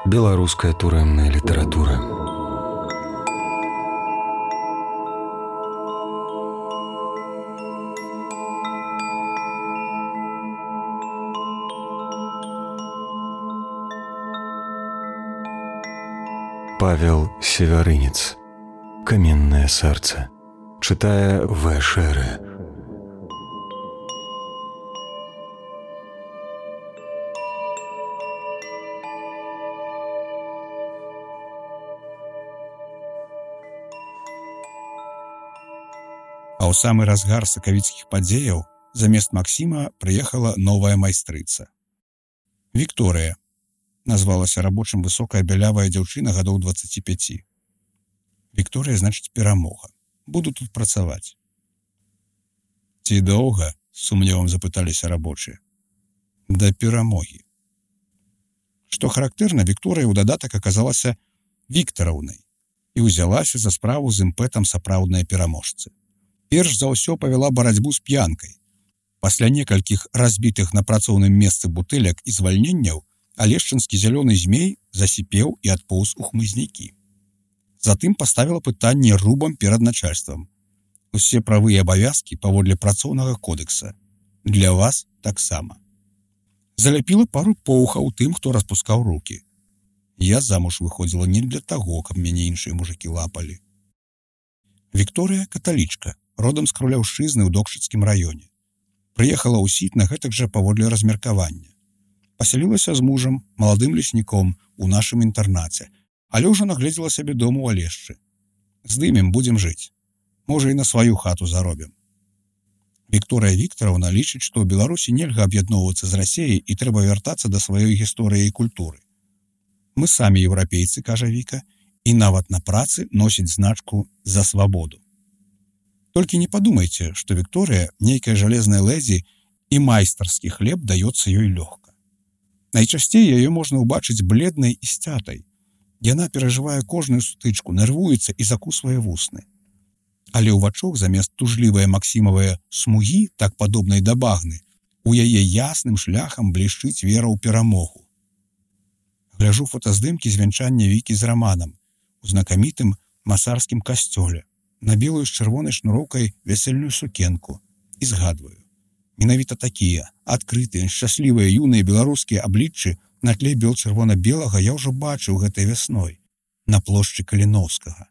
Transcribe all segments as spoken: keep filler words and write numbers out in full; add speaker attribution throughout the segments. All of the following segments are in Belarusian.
Speaker 1: Беларуская турэмная літаратура. Павел Севярынец. Каменное сердце. Читая В. Шеры.
Speaker 2: А ў самы разгар сакавіцкіх падзеяў замест Максіма прыехала новая майстрыца. Вікторыя. Назвалася рабочым высокая бялявая дзяўчына гадоў дваццаці пяці. Вікторыя значыць перамога. Буду тут працаваць. Ці доўга? З сумневам запыталіся рабочыя. Да перамогі. Што характэрна, Вікторыя ў дадатак аказалася Віктараўнай і ўзялася за справу з імпэтам сапраўднай пераможцы. Перш за ўсё павяла барацьбу з п'янкай. Пасля некалькіх разбітых на працоўным месцы бутэлек і звальненняў алешчынскі зялёны змей засіпеў і адпоўз у хмызнякі. Затым паставіла пытанне рубам перад начальствам. Усе правы і абавязкі паводле працоўнага кодекса. Для вас таксама. Заляпіла пару поўхаў тым, хто распускаў рукі. Я замуж выходзіла не для таго, каб мяне іншыя мужыкі лапалі. Вікторыя каталічка, родам з Крулеўшчызны ў Докшыцкім раёне. Прыехала ў Сітна гэтак жа паводле размеркавання. Пасялілася з мужам, маладым лесніком, у нашым інтэрнаце, але ўжо нагледзела сябе дому ў Алешчы. Здымем, будзем жыць. Можа, і на сваю хату заробім. Вікторыя Віктараўна лічыць, што ў Беларусі нельга аб'ядноўвацца з Расеяй і трэба вяртацца да сваёй гісторыі і культуры. Мы самі еўрапейцы, кажа Віка, і нават на працы носіць значку «За свабоду». Толькі не падумайце, што Вікторыя нейкая жалезная лэдзі і майстарскі хлеб даецца ёй лёгка. Найчасцей яе можна ўбачыць бледнай і сцятай. Яна перажывае кожную сутычку, нервуецца і закусвае вусны. Але ў вачок замест тужлівыя максімавыя смугі, так падобнай да багны, у яе ясным шляхам блішчыць вера ў перамогу. Гляжу фотаздымкі з вянчання Вікі з Раманам у знакамітым масарскім касцёле, на белую з чырвонай шнуроўкай вясельную сукенку і згадваю. Менавіта такія, адкрытыя, шчаслівыя юныя беларускія абліччы на тле бел-чырвона-белага я ўжо бачыў гэтай вясной на плошчы Каліноўскага.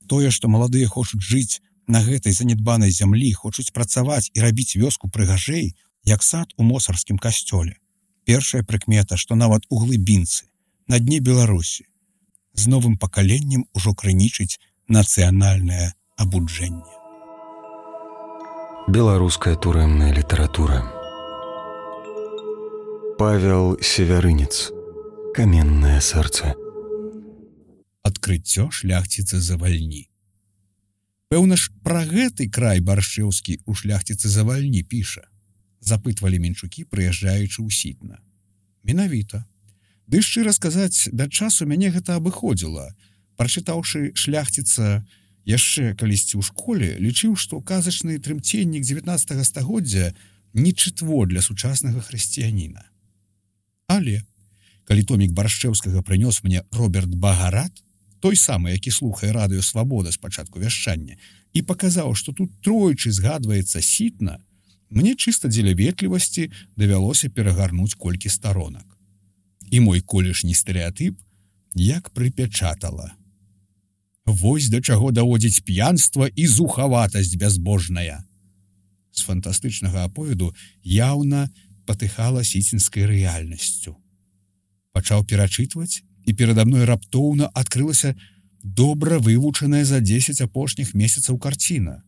Speaker 2: Тое, што маладыя хочуць жыць на гэтай занядбанай зямлі, хочуць працаваць і рабіць вёску прыгажэй, як сад у мосарскім касцёле. Першая прыкмета, што нават у глыбінцы, на дне Беларусі, з новым пакаленнем ужо крынічыць нацыянальнае абуджэнне.
Speaker 1: Беларуская турэмная літаратура. Павел Севярынец. Каменное сердце.
Speaker 2: Адкрыццё шляхціцы завальні. Пэўна ж пра гэты край Баршчэўскі у шляхціцы завальні піша. Запытвалі менчукі, прыязджаючы ў Сітна. Менавіта. Ды шчыра сказаць, да часу мяне гэта абыходзіла. Прачытаўшы шляхціца яшчэ калісьці ў школе, лічыў, што казачны трымценнік дзевятнаццатага стагоддзя не чытво для сучаснага хрысціяніна. Але, калі томік Баршчэўскага прынёс мне Роберт Багарат, той самы, які слухае радыё «Свабода» з пачатку вяшчання, і паказаў, што тут тройчы згадваецца Сітна, мне чыста дзеля ветлівасці давялося перагарнуць колькі старонак. І мой колішні стэрэатып як прыпячатала. Вось да чаго даводзіць п'янства і зухаватасць бязбожная. З фантастычнага аповеду яўна патыхала сіцінскай рэальнасцю. Пачаў перачытваць, і перада мной раптоўна адкрылася добра вывучаная за дзесяць апошніх месяцаў карціна.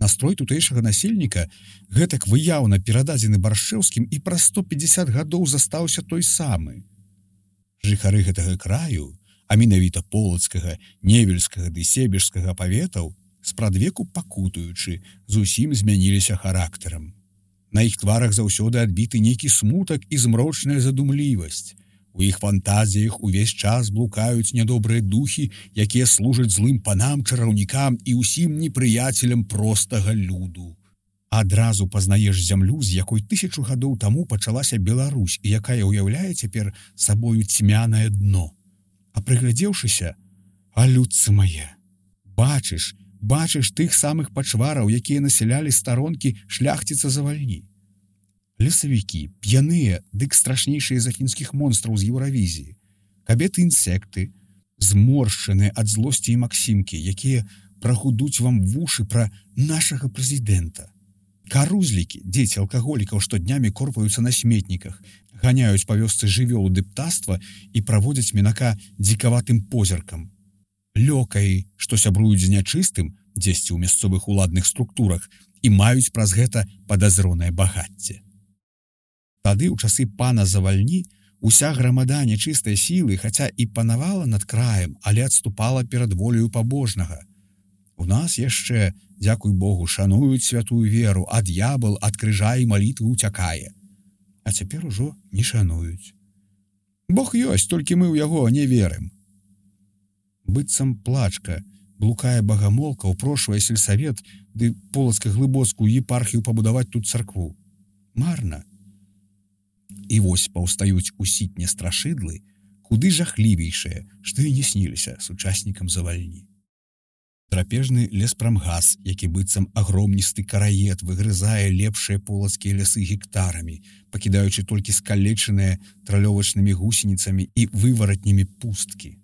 Speaker 2: Настрой тутэйшага насельніка гэтак выяўна перададзены Баршчэўскім і праз сто пятьдесят гадоў застаўся той самы. Жыхары гэтага краю, а менавіта полацкага, невельскага ды себежскага паветаў, спрадвеку пакутуючы, зусім змяніліся характарам. На іх тварах заўсёды адбіты нейкі смутак і змрочная задумлівасць. У іх фантазіях увесь час блукаюць нядобрыя духі, якія служаць злым панам, чараўнікам і ўсім непрыяцелям простага люду. Адразу пазнаеш зямлю, з якой тысячу гадоў таму пачалася Беларусь і якая ўяўляе цяпер сабою цьмянае дно. А прыглядзеўшыся, а людцы мае, бачыш, бачыш тых самых пачвараў, якія насялялі старонкі шляхціца Завальні. Лесавікі, п'яныя, дык страшнейшыя за фінскіх монстраў з Еўравізіі, кабеты-інсекты, зморшчаныя ад злосці і максімкі, якія прагудуць вам вушы пра нашага прэзідэнта. Карузлікі, дзеці алкаголікаў, што днямі корпаюцца на сметніках, ганяюць па вёсцы жывёлу ды птаства і праводзяць мінака дзікаватым позіркам. Лёкаі, што сябруюць з нячыстым, дзесьці ў мясцовых уладных структурах, і маюць праз гэта падазронае багацце. Тады, у часы пана Завальні, уся грамада нячыстай сілы, хаця і панавала над краем, але адступала перад воляю пабожнага. У нас яшчэ, дзякуй Богу, шануюць святую веру, а д'ябал ад крыжа і малітвы ўцякае. А цяпер ужо не шануюць. Бог ёсць, толькі мы ў яго не верым. Быццам плачка, блукае багамолка, упрошвае сельсавет ды полацка-глыбоцкую епархію пабудаваць тут царкву. Марна. І вось паўстаюць у сітне страшыдлы, куды жахлівейшыя, што і не сніліся сучаснікам Завальні. Драпежны леспрамгас, які быццам агромністы караед выгрызае лепшыя полацкія лясы гектарамі, пакідаючы толькі скалечаныя тралёвачнымі гусеніцамі і вываратнямі пусткі.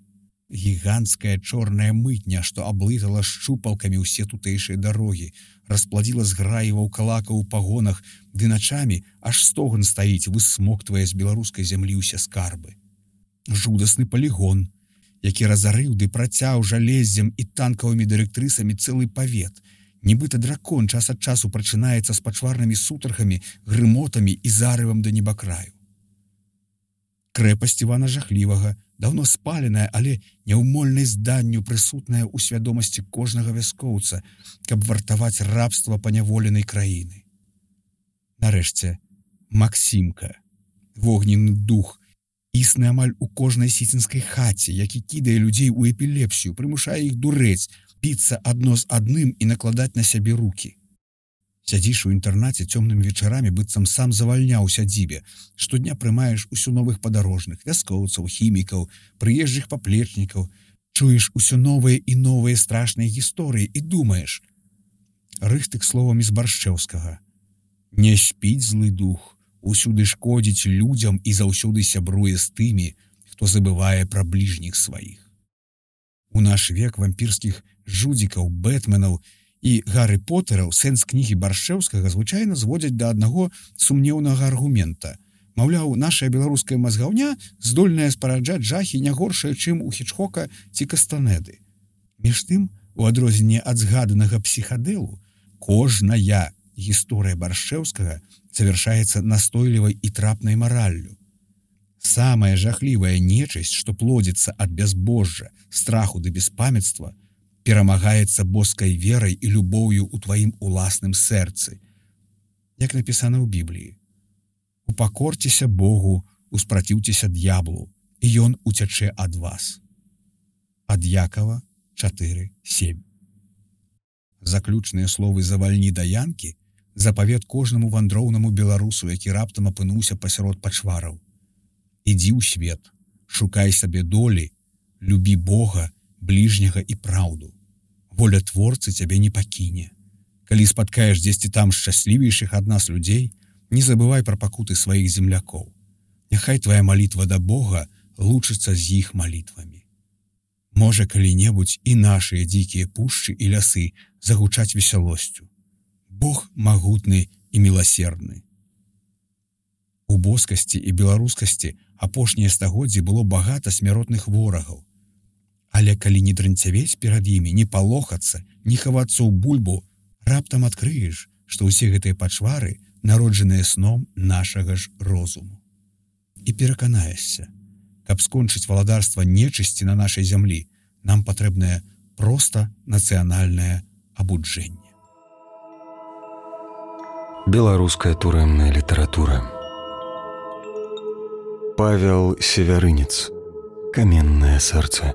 Speaker 2: Гіганцкая чорная мытня, што аблытала шчупалкамі ўсе тутэйшыя дарогі, распладзіла зграі ваўкалакаў у пагонах, ды начамі аж стоган стаіць, высмоктвае з беларускай зямлі ўсе скарбы. Жудасны палігон, які разарыў ды працяў жалездзем і танкавымі дырэктрысамі цэлы павет. Нібыта дракон час ад часу прачынаецца з пачварнымі сутархамі, грымотамі і зарывам да небакраю. Крэпасць Івана Жахлівага, даўно спаленая, але няўмольнай зданню прысутная ў свядомасці кожнага вяскоўца, каб вартаваць рабства паняволенай краіны. Нарэшце, Максімка, вогненны дух, існы амаль у кожнай сіцінскай хаце, які кідае людзей у эпілепсію, прымушае іх дурэць, біцца адно з адным і накладаць на сябе рукі. Сядзіш у інтэрнаце цёмнымі вечарамі, быццам сам Завальня ў сядзібе, штодня прымаеш усё новых падарожных, вяскоўцаў, хімікаў, прыезджых паплечнікаў, чуеш усё новыя і новыя страшныя гісторыі і думаеш. Рыхтык словамі з Баршчэўскага. Не спіць злы дух, усюды шкодзіць людзям і заўсёды сябруе з тымі, хто забывае пра бліжніх сваіх. У наш век вампірскіх жудзікаў, бэтменаў і Гарры Потэраў сэнс кнігі Баршчэўскага звычайна зводзяць да аднаго сумнеўнага аргумента. Маўляў, нашая беларуская мазгаўня здольная спараджаць жахі не горшая, чым у Хічкока ці Кастанеды. Між тым, у адрозненне ад згаданага псіхадэлу, кожная гісторыя Баршчэўскага завяршаецца настойлівай і трапнай мараллю. Самая жахлівая нечысць, што плодзіцца ад бязбожжа, страху ды беспамятства, перамагаецца боскай верай і любоўю ў тваім уласным сэрцы. Як напісана ў Бібліі. Упакорцеся Богу, успраціўцеся д'яблу, і ён уцячэ ад вас. Ад Якава чатыры сем. Заключныя словы Завальні да Янкі запавет кожнаму вандроўнаму беларусу, які раптам апынуўся пасярод пачвараў. Ідзі ў свет, шукай сабе долі, любі Бога, бліжняга і праўду. Воля творцы цябе не пакіне. Калі спаткаеш дзесьці там шчаслівейшых ад нас людзей, не забывай пра пакуты сваіх землякоў. Няхай твая малітва да Бога лучыцца з іх малітвамі. Можа, калі-небудзь і нашыя дзікія пушчы і лясы загучаць весялосцю. Бог магутны і міласердны. У боскасці і беларускасці апошнія стагоддзі было багата смяротных ворагаў. Але калі не дрэнцявець перад імі, не палохацца, не хавацца ў бульбу, раптам адкрыеш, што ўсе гэтыя пачвары народжаныя сном нашага ж розуму. І пераканаешся, каб скончыць валадарства нечысці на нашай зямлі, нам патрэбнае проста нацыянальнае абуджэнне.
Speaker 1: Беларуская турэмная літаратура. Павел Севярынец. Каменнае сэрца.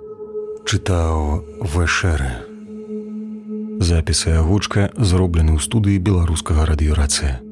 Speaker 1: Чытаў Вэшэрэ. Запісы агучка зроблены ў студыі беларускага радыёрацыя.